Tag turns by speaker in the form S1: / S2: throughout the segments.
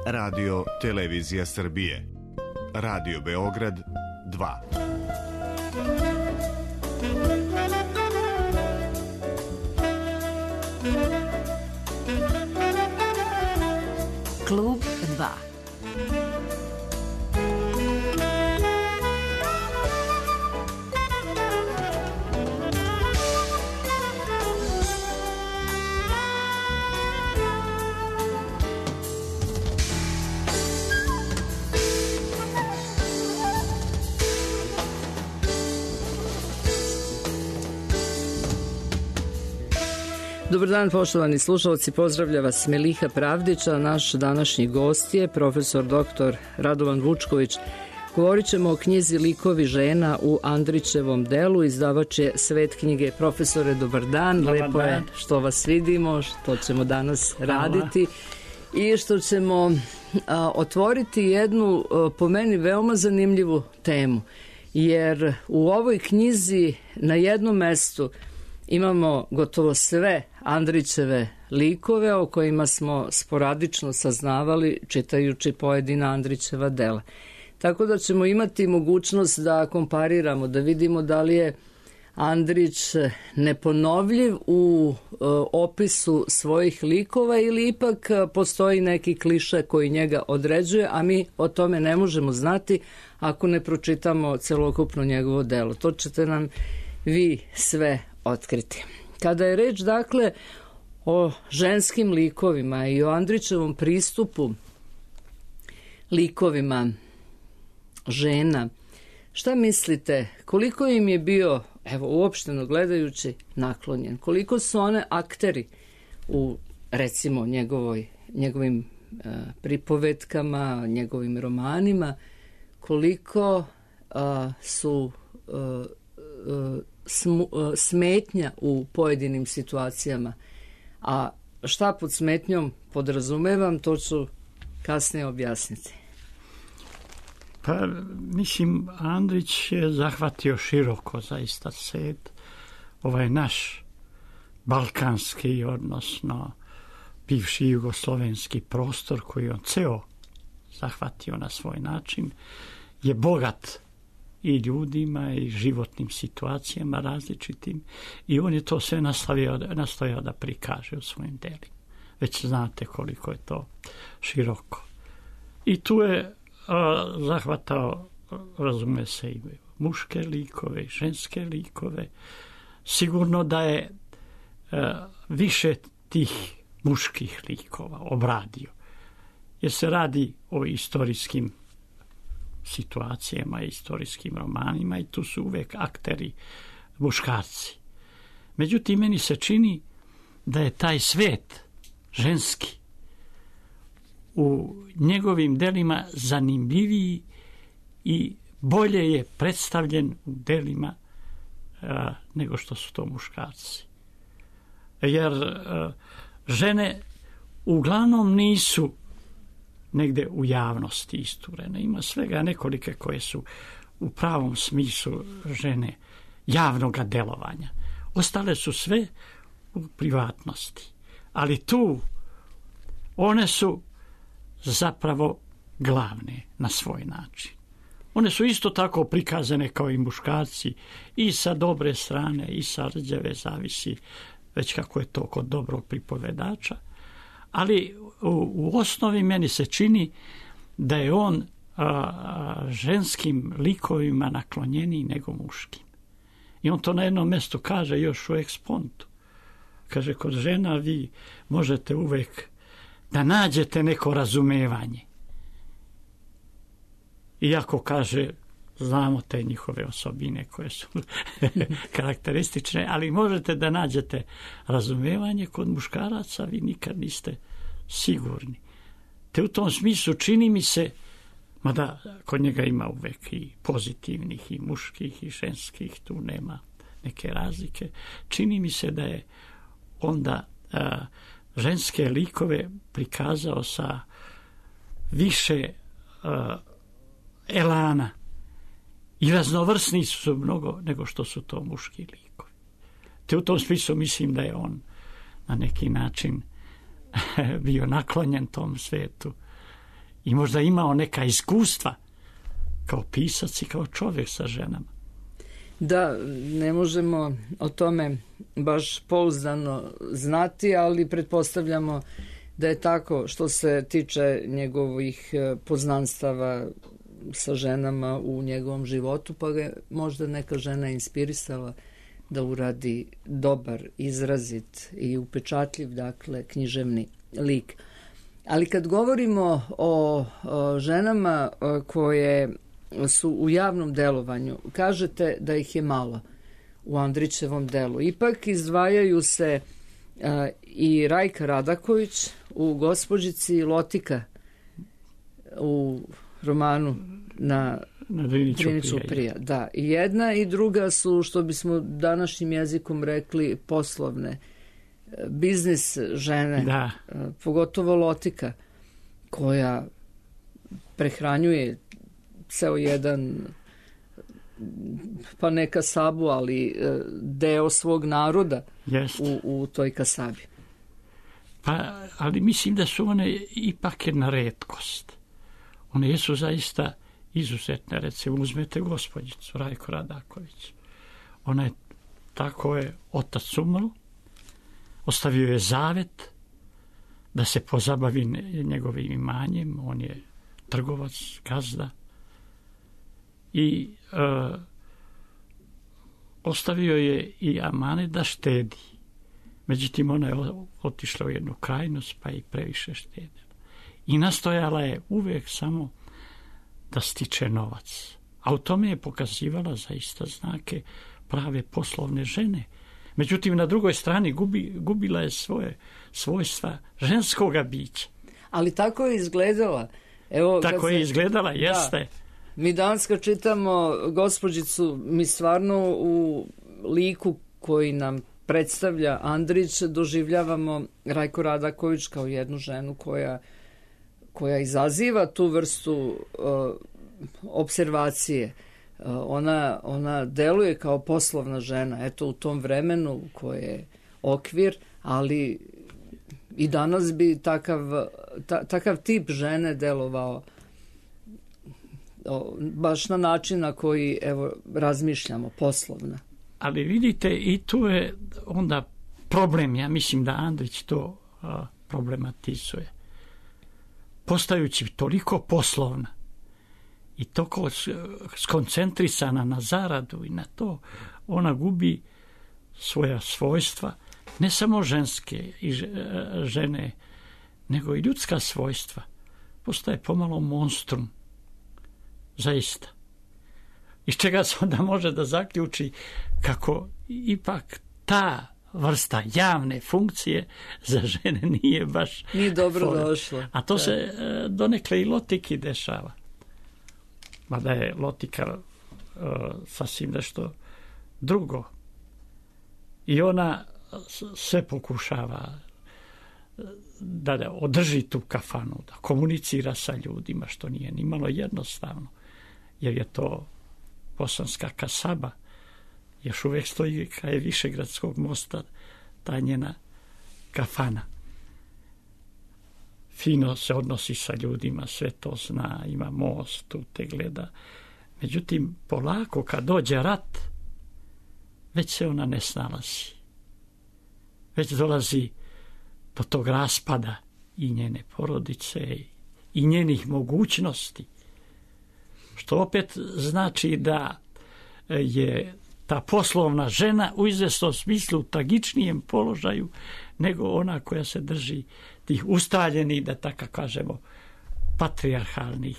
S1: Radio Televizija Srbije, Radio Beograd 2.
S2: Klub 2.
S3: Dobar dan, poštovani slušalci, pozdravlja vas Meliha Pravdića. Naš današnji gost je profesor dr. Radovan Vučković. Govorit ćemo o knjizi Likovi žena u Andrićevom delu. Izdavač je Svet knjige. Profesore, dobar dan. Lepo je što vas vidimo, što ćemo danas raditi i što ćemo otvoriti jednu, po meni, veoma zanimljivu temu. Jer u ovoj knjizi na jednom mestu imamo gotovo sve Andrićeve likove o kojima smo sporadično saznavali čitajući pojedina Andrićeva dela. Tako da ćemo imati mogućnost da kompariramo, da vidimo da li je Andrić neponovljiv u opisu svojih likova ili ipak postoji neki kliše koji njega određuje, a mi o tome ne možemo znati ako ne pročitamo celokupno njegovo delo. To ćete nam vi sve otkriti. Kada je reč, dakle, o ženskim likovima i o Andrićevom pristupu likovima žena, šta mislite, koliko im je bio, evo, uopšteno gledajući, naklonjen? Koliko su one akteri u, recimo, njegovim pripovetkama, njegovim romanima, koliko su smetnja u pojedinim situacijama. A šta pod smetnjom podrazumevam, to ću kasnije objasniti.
S4: Pa, mislim, Andrić je zahvatio široko zaista svet, ovaj naš balkanski, odnosno bivši jugoslovenski prostor koji on ceo zahvatio na svoj način, je bogat i ljudima i životnim situacijama različitim i on je to sve nastojao da prikaže u svojim delima. Već znate koliko je to široko. I tu je zahvatao, razume se, i muške likove i ženske likove. Sigurno da je više tih muških likova obradio, jer se radi o istorijskim situacijama, istorijskim romanima i tu su uvek akteri muškarci. Međutim, meni se čini da je taj svet ženski u njegovim delima zanimljiviji i bolje je predstavljen u delima nego što su to muškarci. Jer žene uglavnom nisu negde u javnosti isturene. Ima svega nekolike koje su u pravom smislu žene javnog delovanja. Ostale su sve u privatnosti. Ali tu one su zapravo glavne na svoj način. One su isto tako prikazane kao i muškarci i sa dobre strane i sa rđave, zavisi već kako je to kod dobrog pripovedača. Ali u osnovi meni se čini da je on ženskim likovima naklonjeniji nego muškim. I on to na jednom mjestu kaže još u ekspontu. Kaže, kod žena vi možete uvek da nađete neko razumevanje. Iako kaže, znamo te njihove osobine koje su karakteristične, ali možete da nađete razumevanje, kod muškaraca vi nikad niste sigurni. Te u tom smislu čini mi se, mada kod njega ima uvek i pozitivnih i muških i ženskih, tu nema neke razlike, čini mi se da je onda ženske likove prikazao sa više elana i raznovrsni su mnogo nego što su to muški likovi. Te u tom smislu mislim da je on na neki način bio naklonjen tom svetu i možda imao neka iskustva kao pisac i kao čovjek sa ženama.
S3: Da, ne možemo o tome baš pouzdano znati, ali pretpostavljamo da je tako što se tiče njegovih poznanstava sa ženama u njegovom životu, pa ga možda neka žena inspirisala da uradi dobar, izrazit i upečatljiv, dakle, književni lik. Ali kad govorimo o ženama koje su u javnom delovanju, kažete da ih je malo u Andrićevom delu. Ipak izdvajaju se i Rajka Radaković u Gospođici, Lotika u romanu na Driniću prija. Da, i jedna i druga su, što bismo današnjim jezikom rekli, poslovne, biznis žene,
S4: da.
S3: Pogotovo Lotika, koja prehranjuje ceo jedan, pa ne kasabu, ali deo svog naroda u toj kasabi.
S4: Pa, ali mislim da su one ipak jedna retkost. One jesu zaista izuzetne. Recimo, uzmete Gospođicu, Rajko Radaković. Ona je, tako je, otac umro, ostavio je zavet da se pozabavi njegovim imanjem. On je trgovac, gazda. I ostavio je i amanet da štedi. Međutim, ona je otišla u jednu krajnost, pa i previše štedila. I nastojala je uvijek samo da stiče novac. A u tome je pokazivala zaista znake prave poslovne žene. Međutim, na drugoj strani gubila je svoje svojstva ženskoga bića.
S3: Ali tako je izgledala. Evo,
S4: tako je izgledala, jeste.
S3: Da. Mi danas kad čitamo Gospođicu, mi stvarno u liku koji nam predstavlja Andrić doživljavamo Rajko Radaković kao jednu ženu koja izaziva tu vrstu observacije. Ona deluje kao poslovna žena, eto u tom vremenu koje je okvir, ali i danas bi takav tip žene delovao baš na način na koji razmišljamo, poslovna.
S4: Ali vidite, i tu je onda problem, ja mislim da Andrić to problematizuje. Postajući toliko poslovna i toliko skoncentrisana na zaradu i na to, ona gubi svoja svojstva, ne samo ženske i žene, nego i ljudska svojstva. Postaje pomalo monstrum. Zaista. Iz čega se onda može da zaključi kako ipak ta vrsta javne funkcije za žene nije
S3: dobro došla.
S4: A to se donekle i Lotiki dešava. Mada je Lotika sasvim nešto drugo. I ona sve pokušava da održi tu kafanu, da komunicira sa ljudima, što nije ni malo jednostavno. Jer je to bosanska kasaba, još uvijek stoji kraj Višegradskog mosta ta njena kafana. Fino se odnosi sa ljudima, sve to zna, ima most, tu te gleda. Međutim, polako kad dođe rat, već se ona ne snalazi. Već dolazi do tog raspada i njene porodice i njenih mogućnosti. Što opet znači da je ta poslovna žena u izvesnom smislu u tragičnijem položaju nego ona koja se drži tih ustaljenih, da tako kažemo, patrijarhalnih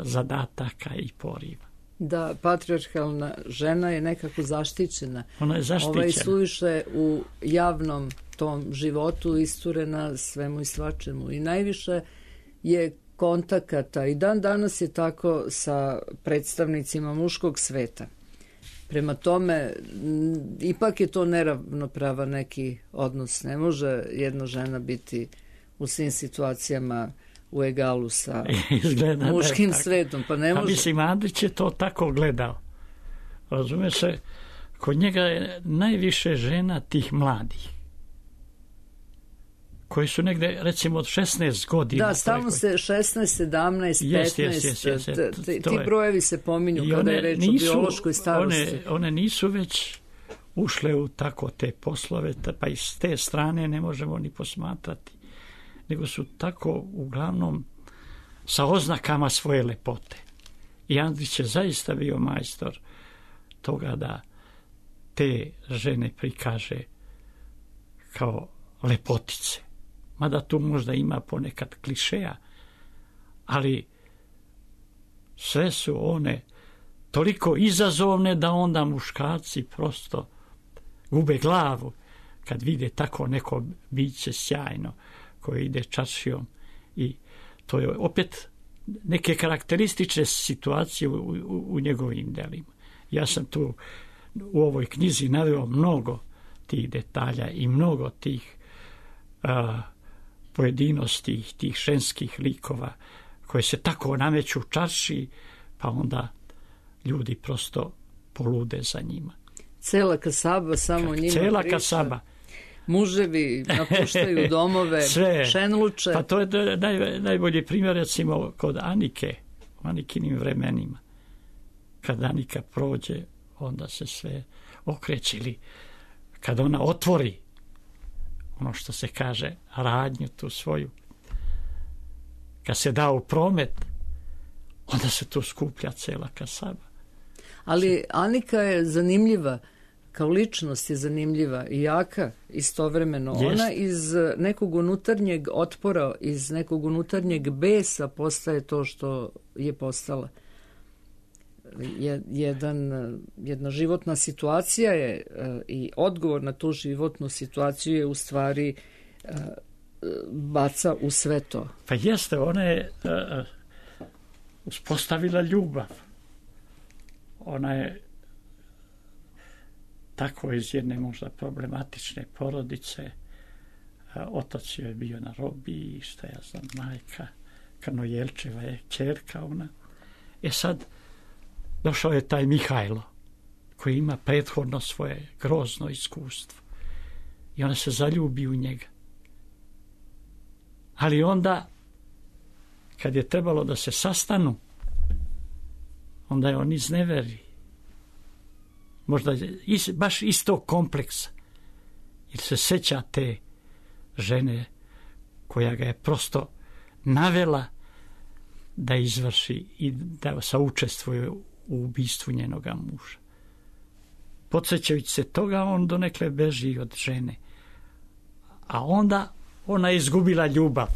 S4: zadataka i poriva.
S3: Da, patrijarhalna žena je nekako zaštićena.
S4: Ona je zaštićena.
S3: Suviše u javnom tom životu isturena svemu i svačemu. I najviše je kontakata i dan danas je tako sa predstavnicima muškog sveta. Prema tome, ipak je to neravnopravan neki odnos. Ne može jedna žena biti u svim situacijama u egalu sa muškim svetom. Pa ne može.
S4: Mislim, Andrić je to tako gledao. Razume se, kod njega je najviše žena tih mladih koji su negde, recimo, od 16 godina.
S3: Da, stalno se 16, 17, 15, ti brojevi se pominju kada je reč o biološkoj starosti.
S4: One nisu već ušle u tako te poslove, pa i s te strane ne možemo ni posmatrati, nego su tako uglavnom sa oznakama svoje lepote. I Andrić je zaista bio majstor toga da te žene prikaže kao lepotice. Mada tu možda ima ponekad klišeja, ali sve su one toliko izazovne da onda muškarci prosto gube glavu kad vide tako neko biće sjajno koje ide čaršijom, i to je opet neke karakteristične situacije u njegovim delima. Ja sam tu u ovoj knjizi naveo mnogo tih detalja i mnogo tih pojedinosti, tih ženskih likova koje se tako nameću u čaršiji, pa onda ljudi prosto polude za njima.
S3: Cela kasaba samo njima
S4: cela
S3: priča.
S4: Kasaba.
S3: Muževi napuštaju domove,
S4: sve,
S3: šenluče.
S4: Pa to je najbolji primjer, recimo, kod Anike, u Anikinim vremenima. Kad Anika prođe, onda se sve okreće, ili kad ona otvori ono što se kaže radnju tu svoju, kad se da u promet, onda se tu skuplja cela kasaba.
S3: Ali Anika je zanimljiva, kao ličnost je zanimljiva i jaka istovremeno.
S4: Jest.
S3: Ona iz nekog unutarnjeg otpora, iz nekog unutarnjeg besa postaje to što je postala. Jedna životna situacija je i odgovor na tu životnu situaciju je u stvari baca u sve to.
S4: Pa jeste, ona je uspostavila ljubav. Ona je tako iz jedne možda problematične porodice. Otac je bio na robiji, šta ja znam, majka Kanojelčeva je ćerka ona. Sad došao je taj Mihajlo, koji ima prethodno svoje grozno iskustvo. I ona se zaljubi u njega. Ali onda, kad je trebalo da se sastanu, onda je on izneveri. Možda baš iz tog kompleksa. Jer se seća te žene koja ga je prosto navela da izvrši i da saučestvuje u ubistvu njenoga muža. Podsjećajući se toga, on donekle beži od žene. A onda ona je izgubila ljubav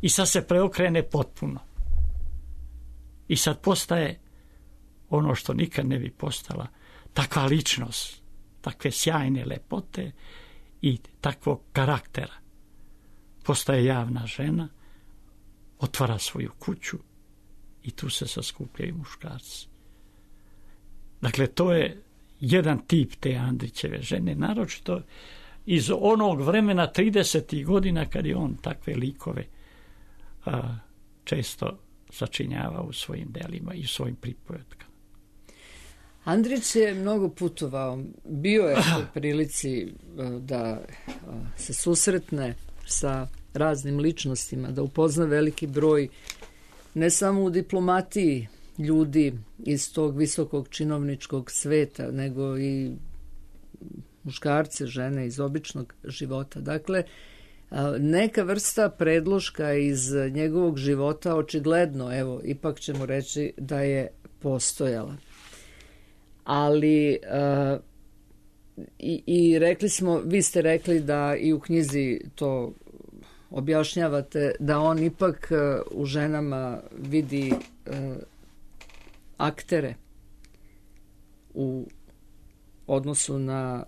S4: i sad se preokrene potpuno. I sad postaje ono što nikad ne bi postala, takva ličnost, takve sjajne lepote i takvog karaktera. Postaje javna žena, otvara svoju kuću i tu se saskupljaju muškarci. Dakle, to je jedan tip te Andrićeve žene, naročito iz onog vremena 30. godina kad je on takve likove često sačinjava u svojim delima i u svojim pripovetkama.
S3: Andrić je mnogo putovao. Bio je u prilici da se susretne sa raznim ličnostima, da upozna veliki broj ne samo u diplomatiji ljudi iz tog visokog činovničkog sveta, nego i muškarce, žene iz običnog života. Dakle, neka vrsta predloška iz njegovog života očigledno, evo, ipak ćemo reći da je postojala. Ali i rekli smo, vi ste rekli da i u knjizi to objašnjavate, da on ipak u ženama vidi aktere u odnosu na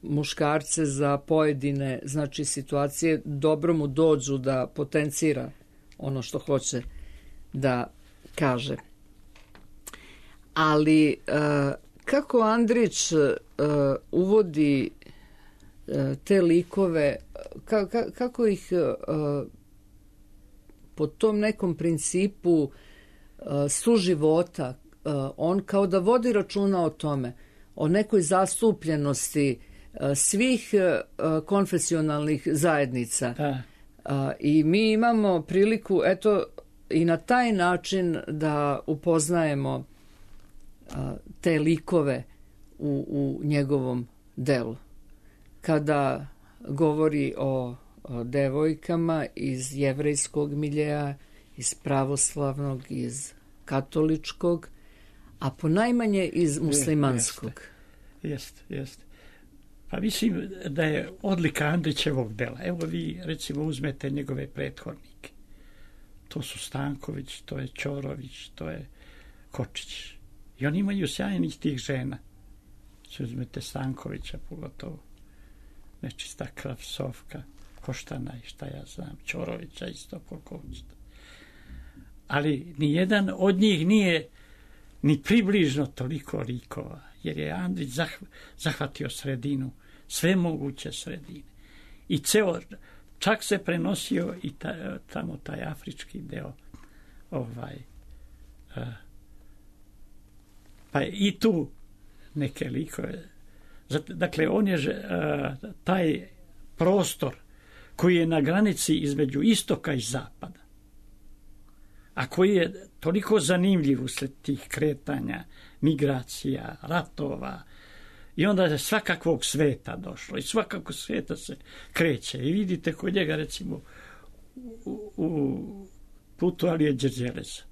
S3: muškarce za pojedine, znači, situacije. Dobro mu dođu da potencira ono što hoće da kaže. Ali kako Andrić uvodi te likove, kako ih po tom nekom principu suživota, on kao da vodi računa o tome, o nekoj zastupljenosti svih konfesionalnih zajednica. I mi imamo priliku, eto, i na taj način da upoznajemo te likove u njegovom delu. Kada govori o devojkama iz jevrejskog miljeja, iz pravoslavnog, iz katoličkog, a ponajmanje iz muslimanskog.
S4: Jeste. Pa mislim da je odlika Andrićevog dela. Evo vi recimo uzmete njegove prethodnike. To su Stanković, to je Ćorović, to je Kočić. I oni imaju sjajnih tih žena. Se uzmete Stankovića pogotovo. Nečista Krasovka, Koštana i šta ja znam, Ćorovića isto koliko hoćete. Ali nijedan od njih nije ni približno toliko likova, jer je Andrić zahvatio sredinu, sve moguće sredine. I čak se prenosio i tamo taj afrički deo, pa i tu neke likove. Dakle, on je taj prostor koji je na granici između istoka i zapada, a koji je toliko zanimljiv usled tih kretanja, migracija, ratova, i onda je svakakvog sveta došlo i svakakvog sveta se kreće. I vidite kod njega recimo u putu Alije Đerđeleza.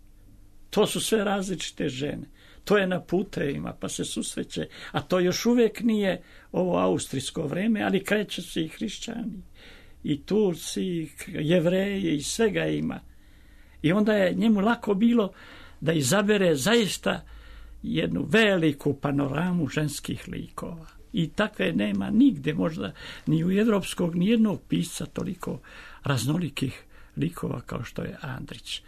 S4: To su sve različite žene. To je na putevima, pa se susreće, a to još uvijek nije ovo austrijsko vreme, ali kreće se i hrišćani, i Turci, i Jevreji, i svega ima. I onda je njemu lako bilo da izabere zaista jednu veliku panoramu ženskih likova. I takve nema nigde, možda ni u evropskog, ni jednog pisca toliko raznolikih likova kao što je Andrić,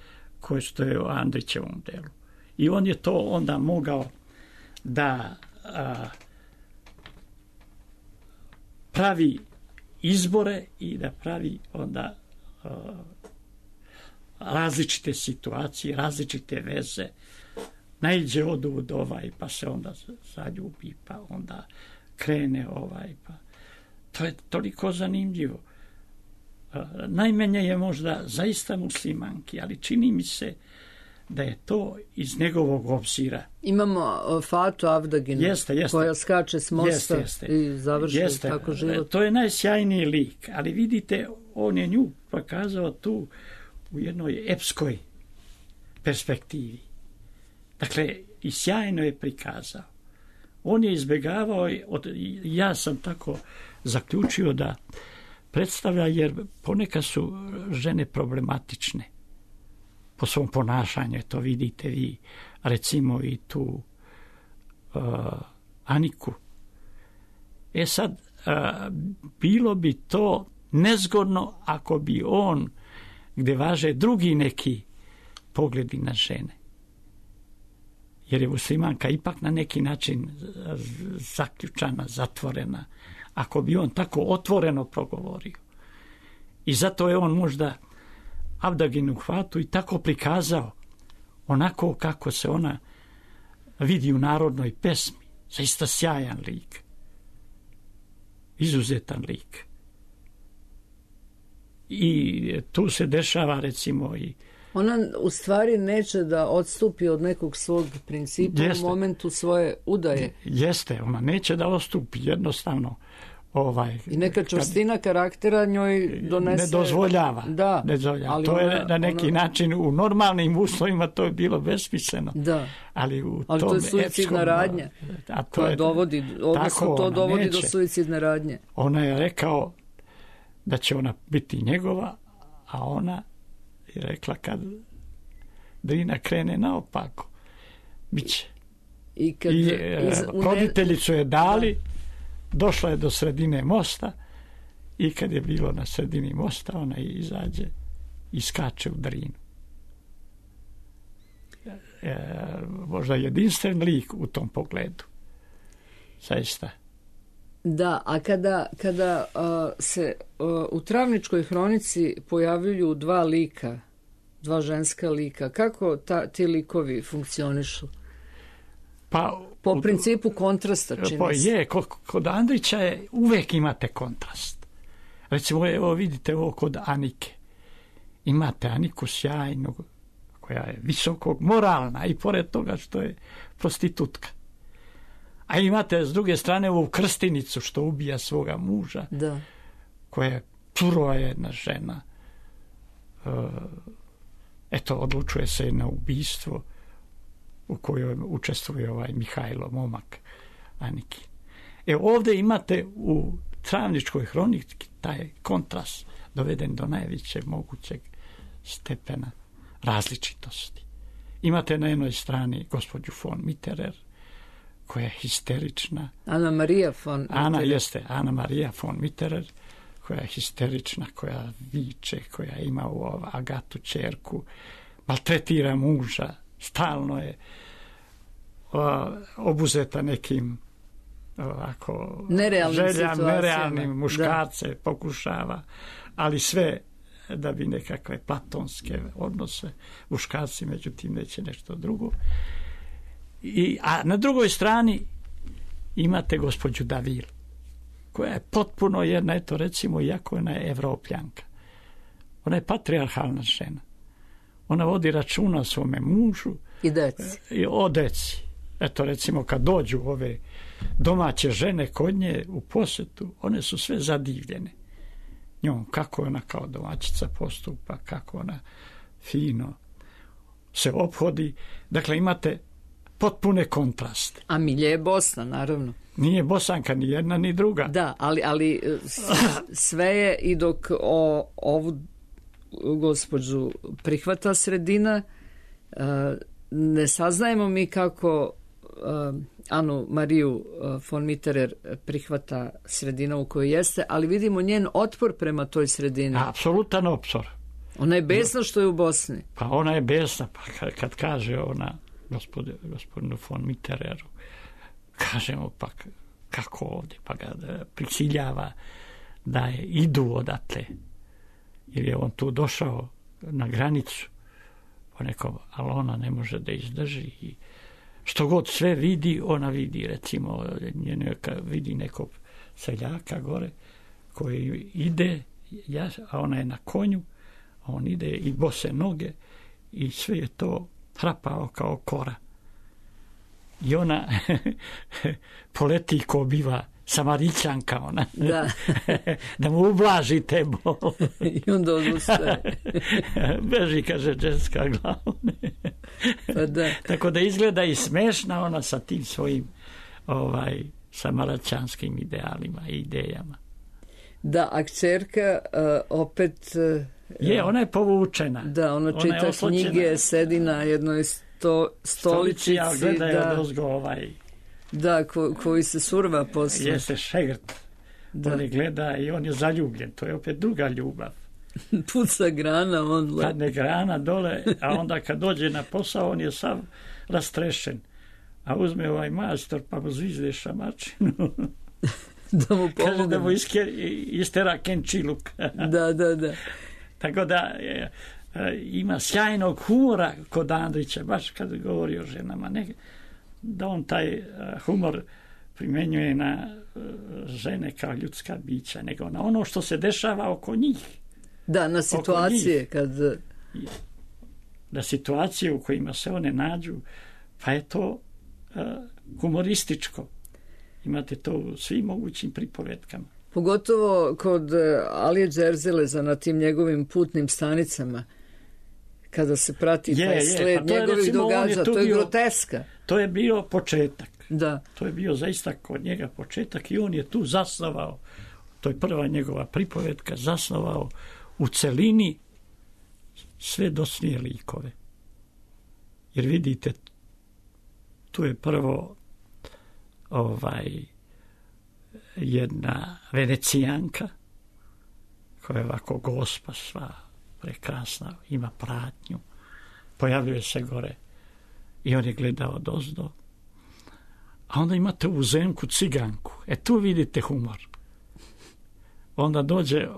S4: što je u Andrićevom delu. I on je to onda mogao da pravi izbore i da pravi onda različite situacije, različite veze. Naiđe odud pa se onda zaljubi, pa onda krene pa. To je toliko zanimljivo. Najmanje je možda zaista muslimanki, ali čini mi se da je to iz njegovog obzira.
S3: Imamo Fatu Avdaginu, koja skače s mosta i završi tako život.
S4: To je najsjajniji lik, ali vidite, on je nju pokazao tu u jednoj epskoj perspektivi. Dakle, i sjajno je prikazao. On je izbjegavao, ja sam tako zaključio da predstavlja, jer ponekad su žene problematične po svom ponašanju, to vidite vi, recimo i tu Aniku. Sad, bilo bi to nezgodno ako bi on, gdje važe drugi neki pogledi na žene. Jer je muslimanka ipak na neki način zaključana, zatvorena, ako bi on tako otvoreno progovorio. I zato je on možda Avdaginu Fatu i tako prikazao, onako kako se ona vidi u narodnoj pesmi. Zaista sjajan lik. Izuzetan lik. I tu se dešava recimo i
S3: ona u stvari neće da odstupi od nekog svog principa u momentu svoje udaje.
S4: Jeste, ona neće da odstupi, jednostavno.
S3: I neka čvrstina karaktera njoj donese...
S4: Ne dozvoljava.
S3: Da.
S4: Ali to je na neki način u normalnim uslovima to je bilo besmisleno.
S3: Da.
S4: Ali
S3: to je suicidna radnja. To dovodi do suicidne radnje.
S4: Ona je rekao da će ona biti njegova, a ona je rekla kad Drina krene naopako, bit će. I roditelji su je dali, došla je do sredine mosta i kad je bilo na sredini mosta, ona izađe i skače u Drinu. Možda jedinstven lik u tom pogledu. Zaista.
S3: Da, a kada se u Travničkoj hronici pojavljuju dva ženska lika, kako ti likovi funkcionišu? Po principu kontrasta, čini se.
S4: Kod Andrića uvijek imate kontrast. Recimo, evo vidite ovo kod Anike. Imate Aniku sjajnu, koja je visokog moralna i pored toga što je prostitutka. A imate s druge strane ovu Krstinicu što ubija svoga muža,
S3: da,
S4: koja je surova jedna žena. Eto, odlučuje se na ubistvo u kojoj učestvuje ovaj Mihajlo, momak Aniki. Ovdje imate u Travničkoj hroniki taj kontrast doveden do najvećeg mogućeg stepena različitosti. Imate na jednoj strani gospođu von Mitterer, koja je histerična.
S3: Ana Marija von Mitterer.
S4: Ana Marija von Mitterer, koja je histerična, koja viče, koja ima u Agatu ćerku, maltretira muža, stalno je obuzeta nekim ovako nerealnim muškarce pokušava, ali sve da bi nekakve platonske odnose muškarci, međutim neće nešto drugo. A na drugoj strani imate gospođu Davil, koja je potpuno jedna, eto recimo, iako ona je Evropljanka. Ona je patrijarhalna žena. Ona vodi računa o svome mužu i o deci. Eto recimo kad dođu ove domaće žene kod nje u posjetu, one su sve zadivljene njom, kako ona kao domaćica postupa, kako ona fino se ophodi. Dakle, imate potpune kontraste.
S3: A Milje je Bosna, naravno.
S4: Nije Bosanka ni jedna ni druga.
S3: Da, ali sve je, i dok ovu gospođu prihvata sredina, ne saznajemo mi kako Anu Mariju von Mitterer prihvata sredina u kojoj jeste, ali vidimo njen otpor prema toj sredini.
S4: Apsolutan otpor.
S3: Ona je besna što je u Bosni.
S4: Pa ona je besna, pa kad kaže ona gospodinu von Mittereru, kažemo pa kako ovdje, pa ga prisiljava da idu odatle, jer je on tu došao na granicu, ali ona ne može da izdrži i što god sve vidi, ona vidi, recimo, vidi nekog seljaka gore koji ide, a ona je na konju, a on ide i bose noge i sve je to hrapao kao kora. I ona poleti ko biva Samarićanka, ona, da mu ublaži te bol.
S3: I onda odustaje.
S4: Beži, kaže ženska glavne.
S3: Pa da.
S4: Tako da izgleda i smešna ona sa tim svojim samaraćanskim idealima i idejama.
S3: Da, a kćerka opet...
S4: ona je povučena.
S3: Da, ona čita knjige, sedi na jednoj stoličici.
S4: Ja gledaju dozgo
S3: Da, koji se surva posle.
S4: Jeste šegrt. Da. On je gleda i on je zaljubljen. To je opet druga ljubav.
S3: Puca grana, on le.
S4: Padne grana dole, a onda kad dođe na posao, on je sav rastrešen. A uzme ovaj majstor, pa mu zvizde šamačinu.
S3: Da mu pomogne.
S4: Kaže da mu istera kenčiluk.
S3: Da.
S4: Tako da ima sjajnog humora kod Andrića, baš kad govori o ženama. Da on taj humor primjenjuje na žene kao ljudska bića, nego na ono što se dešava oko njih.
S3: Da, na situacije kad...
S4: Na situacije u kojima se one nađu, pa je to humorističko. Imate to u svim mogućim pripovetkama.
S3: Pogotovo kod Alije Đerzeleza na tim njegovim putnim stanicama, kada se prati taj sled njegovih događaja, to je groteska.
S4: To je bio početak.
S3: Da.
S4: To je bio zaista kod njega početak i on je tu zasnovao, to je prva njegova pripovetka, zasnovao u celini sve dosnije likove. Jer vidite, tu je prvo jedna Venecijanka koja je ovako gospa sva prekrasna, ima pratnju, pojavljuje se gore i on je gledao odozdo. A onda imate u Zemku ciganku. Tu vidite humor. Onda dođe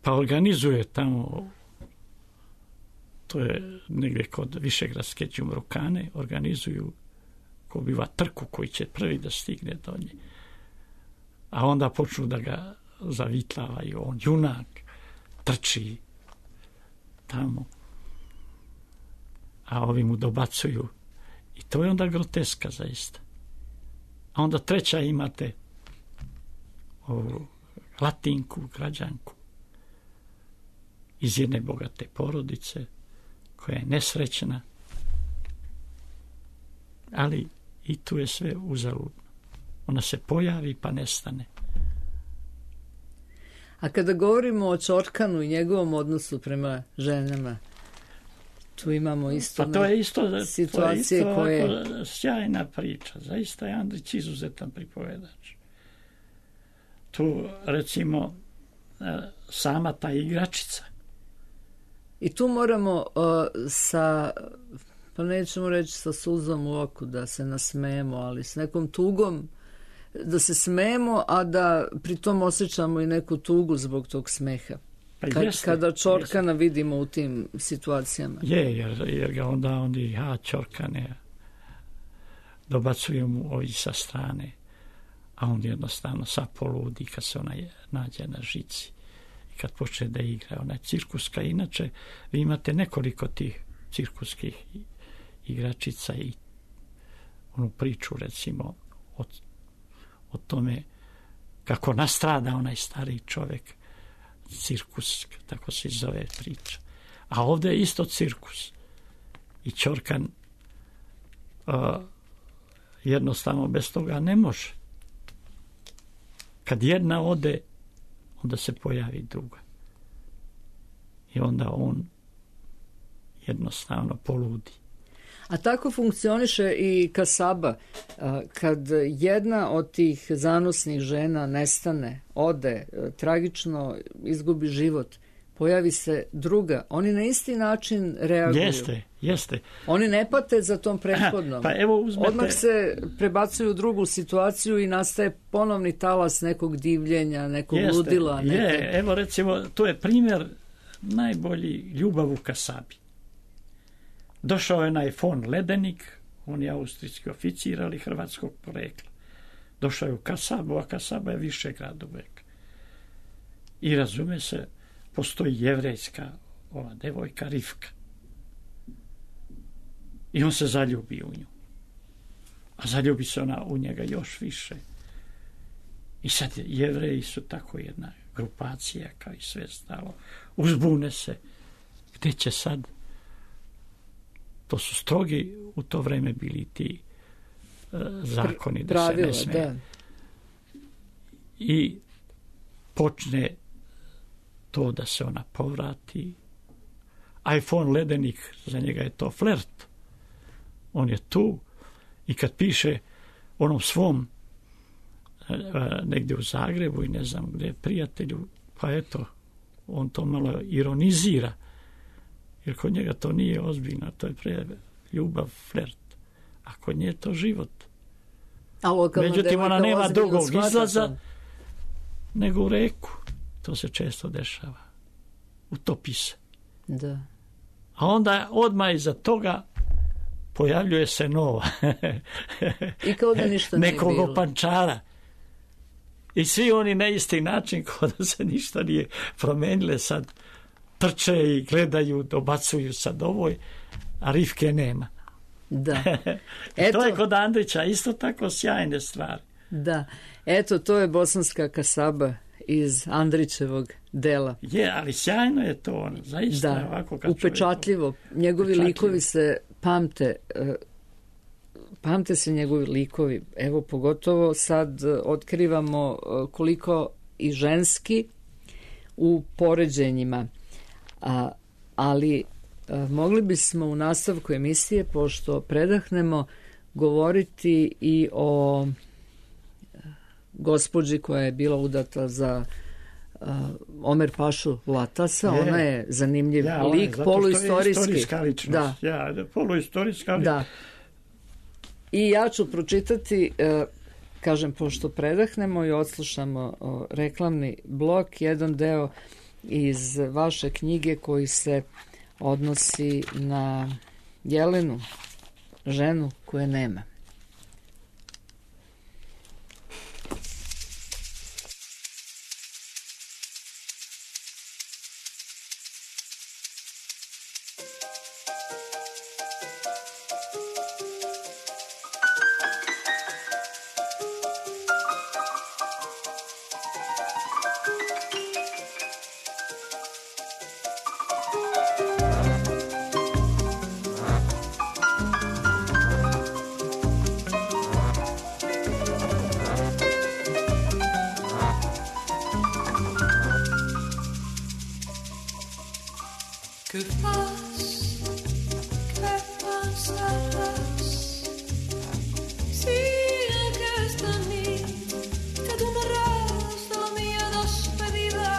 S4: pa organizuje tamo, to je negdje kod Višegradske Đumrukane, organizuju ko biva trku koji će prvi da stigne do nje. A onda počnu da ga zavitlavaju, on junak, trči tamo, a ovi mu dobacuju. I to je onda groteska zaista. A onda treća imate ovu Latinku, građanku, iz jedne bogate porodice, koja je nesrećna, ali i tu je sve uzaludno. Ona se pojavi pa nestane.
S3: A kada govorimo o Čorkanu i njegovom odnosu prema ženama, tu imamo isto,
S4: pa to je isto
S3: situacije
S4: to je
S3: koje...
S4: sjajna priča. Zaista je Andrić izuzetan pripovedač. Tu, recimo, sama ta igračica.
S3: I tu moramo sa, pa nećemo reći sa suzom u oku da se nasmejemo, ali s nekom tugom da se smejemo, a da pritom osjećamo i neku tugu zbog tog smeha.
S4: Pa
S3: Kada Čorkana vidimo u tim situacijama.
S4: Jer ga onda oni, Čorkane, dobacuju mu ovi sa strane, a on jednostavno poludi kad se ona nađe na žici i kad počne da igra. Ona je cirkuska. Inače, vi imate nekoliko tih cirkuskih igračica i onu priču, recimo, o tome kako nastrada onaj stari čovjek. Cirkus, tako se zove priča. A ovdje je isto cirkus. I Čorkan jednostavno bez toga ne može. Kad jedna ode, onda se pojavi druga. I onda on jednostavno poludi.
S3: A tako funkcioniše i kasaba. Kad jedna od tih zanosnih žena nestane, ode, tragično izgubi život, pojavi se druga, oni na isti način reaguju.
S4: Jeste.
S3: Oni ne pate za tom prethodnom.
S4: Pa evo uzmete...
S3: Odmah se prebacuju u drugu situaciju i nastaje ponovni talas nekog divljenja, nekog ludila.
S4: Evo recimo, to je primjer najbolji ljubav u kasabi. Došao je onaj von Ledenik, on je austrijski oficir, ali hrvatskog porekla. Došao je u kasabu, a kasaba je Višegrad uvek. I razume se, postoji jevrejska ova devojka Rivka. I on se zaljubi u nju. A zaljubi se ona u njega još više. I sad Jevreji su tako jedna grupacija, kao i sve stalo. Uzbune se. Gde će sad? To su strogi u to vreme bili ti zakoni da se ne smije. Da. I počne to da se ona povrati. A von Ledenik, za njega je to flert. On je tu i kad piše onom svom negdje u Zagrebu i ne znam gdje prijatelju, pa eto, on to malo ironizira. Jer kod njega to nije ozbiljno, to je ljubav, flert. A kod nje je to život. Međutim, ona nema drugog izlaza nego u reku. To se često dešava. Utopi se.
S3: Da.
S4: A onda odmah iza toga pojavljuje se nova.
S3: I kao da ništa nije bilo.
S4: Nekog opančara. I svi oni na isti način, kao da se ništa nije promenile, sad trče i gledaju, dobacuju sad ovoj, a Rivke nema.
S3: Da.
S4: To je kod Andrića isto tako sjajne stvari.
S3: Da. Eto, to je bosanska kasaba iz Andrićevog dela.
S4: Je, ali sjajno je to ono, zaista.
S3: Da,
S4: ovako kad
S3: upečatljivo. Njegovi likovi se pamte se njegovi likovi. Evo, pogotovo sad otkrivamo koliko i ženski u poređenjima. Ali mogli bismo u nastavku emisije, pošto predahnemo, govoriti i o gospođi koja je bila udata za Omer Pašu Latasa. Ona je zanimljiv lik, poluistorijski.
S4: Da. Poluistorijska lik.
S3: Da. I ja ću pročitati, kažem, pošto predahnemo i odslušamo reklamni blok, jedan deo iz vaše knjige koji se odnosi na Jelenu, ženu koje nema.
S2: Que pasarás si aquesta nit que donaràs de la meva despedida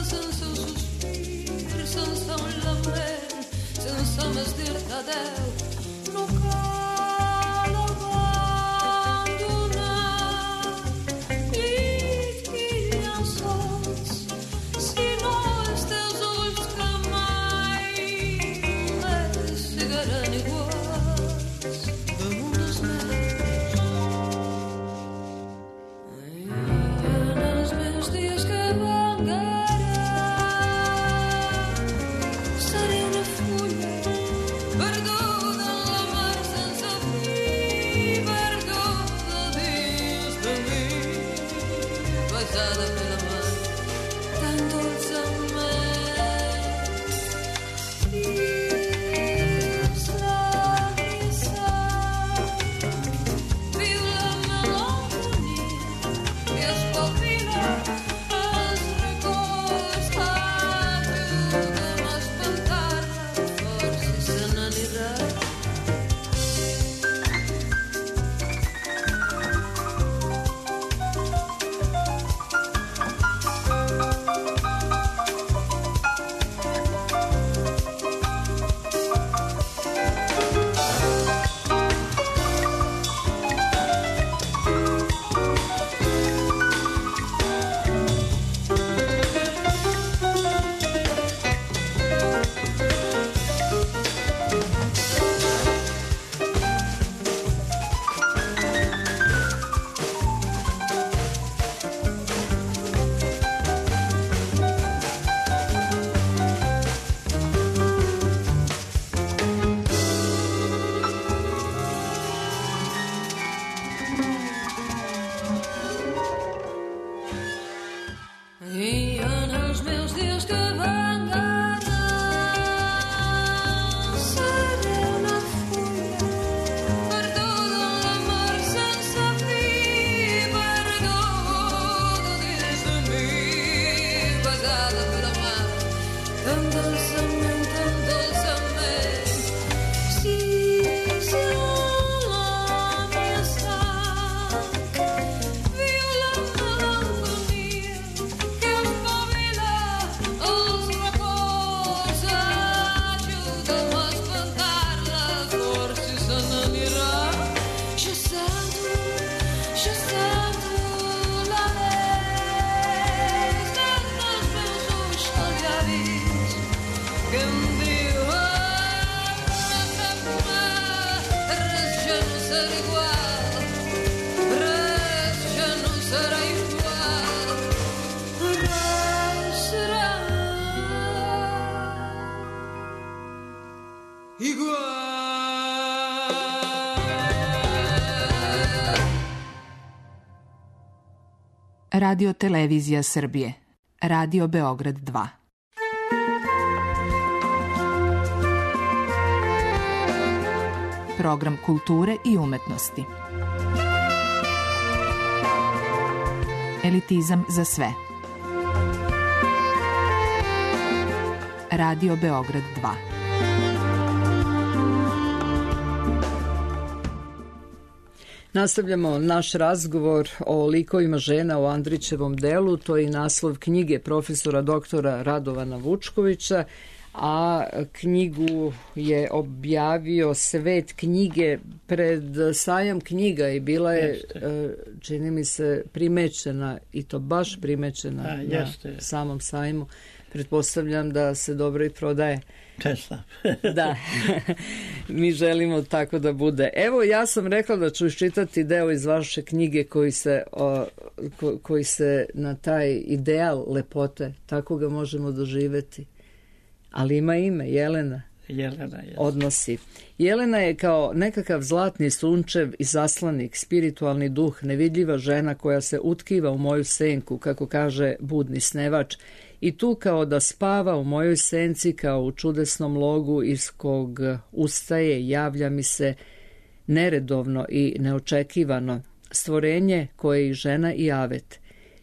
S2: sense un sospir, sense un lament, sense més dir-te adeu. No cal abandonar llit i llençols, sinó els teus ulls que mai més sigueren iguals damunt dels meus. I en els meus dies que vengaran seré una fulla perduda en la mar sense fi, perduda dins de mi, besada per la mar tan dolçament. I els llavis viu la melancolia i espavila els records, ajuda'm a espantar-la força i se n'anirà. I en els meus dies que vengaran seré una fulla perduda en la mar sense fi, perduda dins de mi, besada per la mar tan dolçament, tan dolçament. Si la meva sang viu la melancolia que espavila els records, ajuda'm a espantar-la força i se n'anirà. Jo sento l'alè dels meus ulls als llavis que em diuen res ja no serà igual, res ja no serà igual, res serà igual.
S5: Radio Televizija Srbije. Radio Beograd 2. Program kulture i umetnosti. Elitizam za sve. Radio Beograd 2.
S3: Nastavljamo naš razgovor o likovima žena u Andrićevom delu, to je i naslov knjige profesora doktora Radovana Vučkovića, a knjigu je objavio Svet knjige pred sajam knjiga i bila je, čini mi se, primećena, i to baš primećena na samom sajmu. Pretpostavljam da se dobro i prodaje. Da, mi želimo tako da bude. Evo, ja sam rekla da ću iščitati deo iz vaše knjige koji se na taj ideal lepote, tako ga možemo doživeti. Ali ima ime, Jelena.
S4: Jelena je.
S3: Odnosi. Jelena je kao nekakav zlatni sunčev i zaslanik, spiritualni duh, nevidljiva žena koja se utkiva u moju senku, kako kaže budni snevač, i tu kao da spava u mojoj senci kao u čudesnom logu iz kog ustaje, javlja mi se neredovno i neočekivano stvorenje koje je i žena i avet.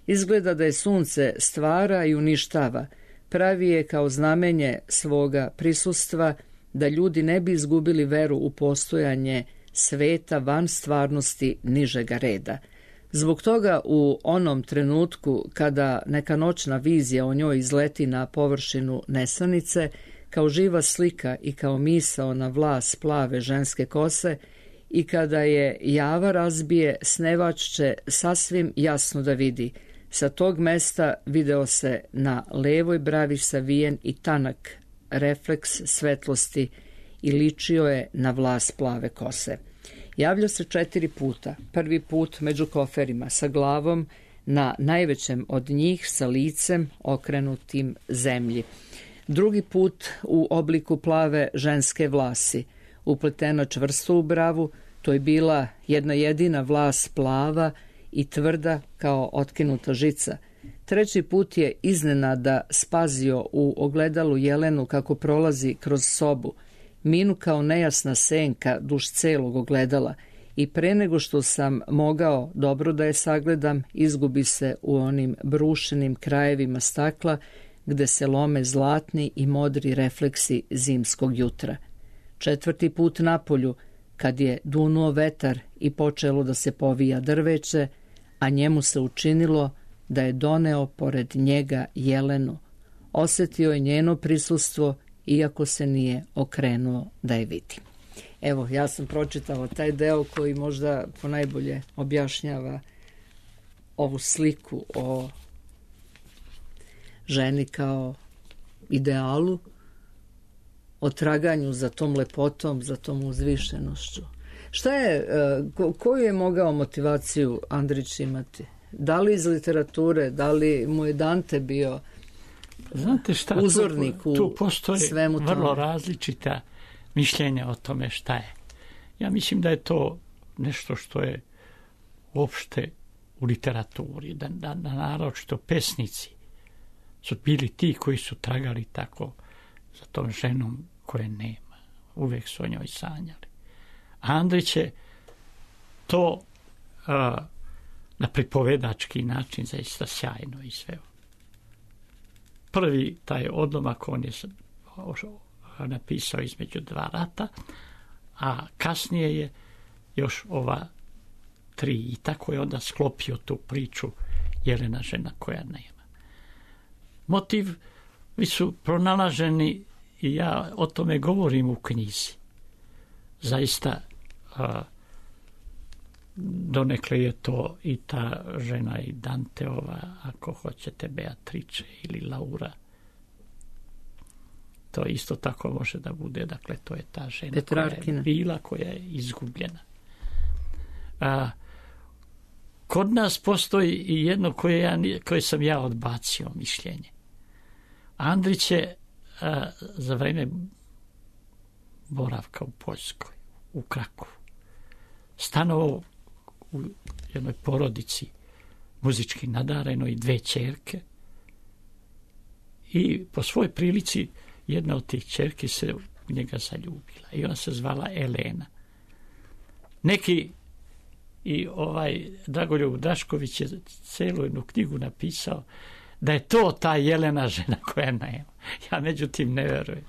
S3: Izgleda da je sunce stvara i uništava, pravi je kao znamenje svoga prisustva da ljudi ne bi izgubili veru u postojanje sveta van stvarnosti nižega reda. Zbog toga u onom trenutku kada neka noćna vizija o njoj izleti na površinu nesanice, kao živa slika i kao misao na vlas plave ženske kose, i kada je java razbije, snevač će sasvim jasno da vidi. Sa tog mesta video se na levoj bravi savijen i tanak refleks svetlosti i ličio je na vlas plave kose. Javlja se 4 puta. Prvi put među koferima, sa glavom na najvećem od njih, sa licem okrenutim zemlji. Drugi put u obliku plave ženske vlasi, upletena čvrsto u bravu. To je bila jedna jedina vlas plava i tvrda kao otkinuta žica. Treći put je iznenada spazio u ogledalu jelenu kako prolazi kroz sobu, minu kao nejasna senka duž celog ogledala, i pre nego što sam mogao dobro da je sagledam, izgubi se u onim brušenim krajevima stakla gde se lome zlatni i modri refleksi zimskog jutra. 4. put napolju, kad je dunuo vetar i počelo da se povija drveće, a njemu se učinilo da je doneo pored njega jelenu. Osjetio je njeno prisustvo, iako se nije okrenuo da je vidi. Evo, ja sam pročitala taj deo koji možda ponajbolje objašnjava ovu sliku o ženi kao idealu, o traganju za tom lepotom, za tom uzvišenošću. Šta je, koju je mogao motivaciju Andrić imati? Da li iz literature, da li mu je Dante bio
S4: Znate šta,
S3: uzornik
S4: tu postoje
S3: svemu tome?
S4: Vrlo različita mišljenja o tome šta je. Ja mislim da je to nešto što je uopšte u literaturi, da naročito pesnici su bili ti koji su tragali tako za tom ženom koje nema. Uvijek su o njoj sanjali. A Andrić je to na pripovedački način zaista sjajno izveo. Prvi taj odlomak on je napisao između 2 rata, a kasnije je još ova 3 i tako je onda sklopio tu priču Jelena, žena koja nema. Motivi su pronalaženi i ja o tome govorim u knjizi. Zaista donekle je to i ta žena i Danteova, ako hoćete Beatrice ili Laura. To isto tako može da bude, dakle to je ta žena
S3: Petrarkina,
S4: koja je bila, koja je izgubljena. Kod nas postoji i jedno koje sam ja odbacio mišljenje. Andrić je za vreme boravka u Poljskoj, u Krakovu, stanovao u jednoj porodici muzički nadarenoj, 2 ćerke, i po svojoj prilici jedna od tih ćerki se u njega zaljubila i ona se zvala Elena. Neki i Dragoljub Drašković je celu jednu knjigu napisao da je to ta Jelena, žena koja nema. Ja međutim ne verujem.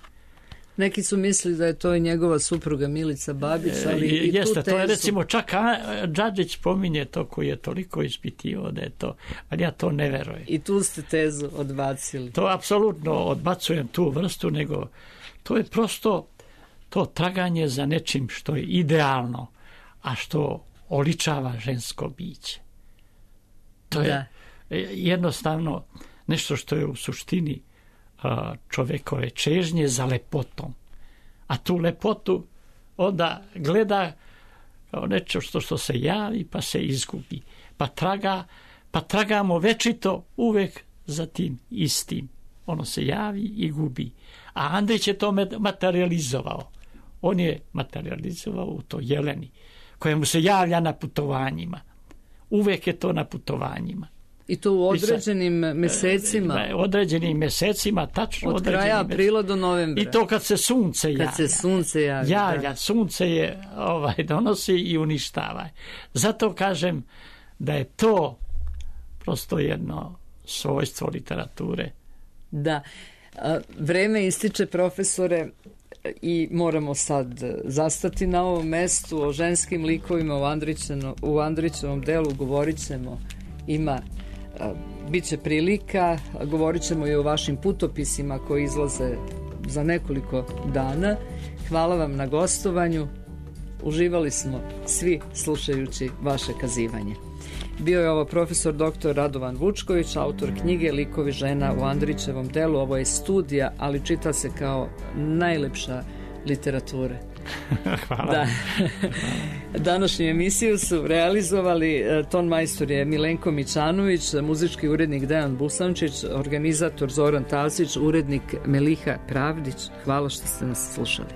S3: Neki su mislili da je to i njegova supruga Milica Babić, ali i
S4: jeste,
S3: tu tezu.
S4: To je recimo čak Đađić spominje to, koji je toliko ispitivao da je to, ali ja to ne verujem.
S3: I tu ste tezu odbacili.
S4: To apsolutno odbacujem tu vrstu, nego to je prosto to traganje za nečim što je idealno, a što oličava žensko biće. To je jednostavno nešto što je u suštini čovjekove čežnje za lepotom. A tu lepotu onda gleda kao nešto što se javi pa se izgubi. Pa tragamo večito uvek za tim istim. Ono se javi i gubi. A Andrić je to materializovao. On je materializovao u to Jeleni, koja mu se javlja na putovanjima. Uvek je to na putovanjima.
S3: I to u određenim mesecima.
S4: Određenim mesecima, tačno
S3: od kraja aprila do novembra.
S4: I to kad se sunce javlja.
S3: Kad se sunce javlja.
S4: Sunce je donosi i uništava. Zato kažem da je to prosto jedno svojstvo literature,
S3: Da, vreme ističe, profesore, i moramo sad zastati na ovom mestu. O ženskim likovima u Andrićevom delu govorit ćemo, bit će prilika, govorit ćemo i o vašim putopisima koji izlaze za nekoliko dana. Hvala vam na gostovanju, uživali smo svi slušajući vaše kazivanje. Bio je ovo profesor dr. Radovan Vučković, autor knjige Likovi žena u Andrićevom delu. Ovo je studija, ali čita se kao najlepša literatura.
S4: Hvala.
S3: Da. Današnju emisiju su realizovali ton majstor je Milenko Mićanović, muzički urednik Dejan Busančić, organizator Zoran Tasić, urednik Meliha Pravdić. Hvala što ste nas slušali.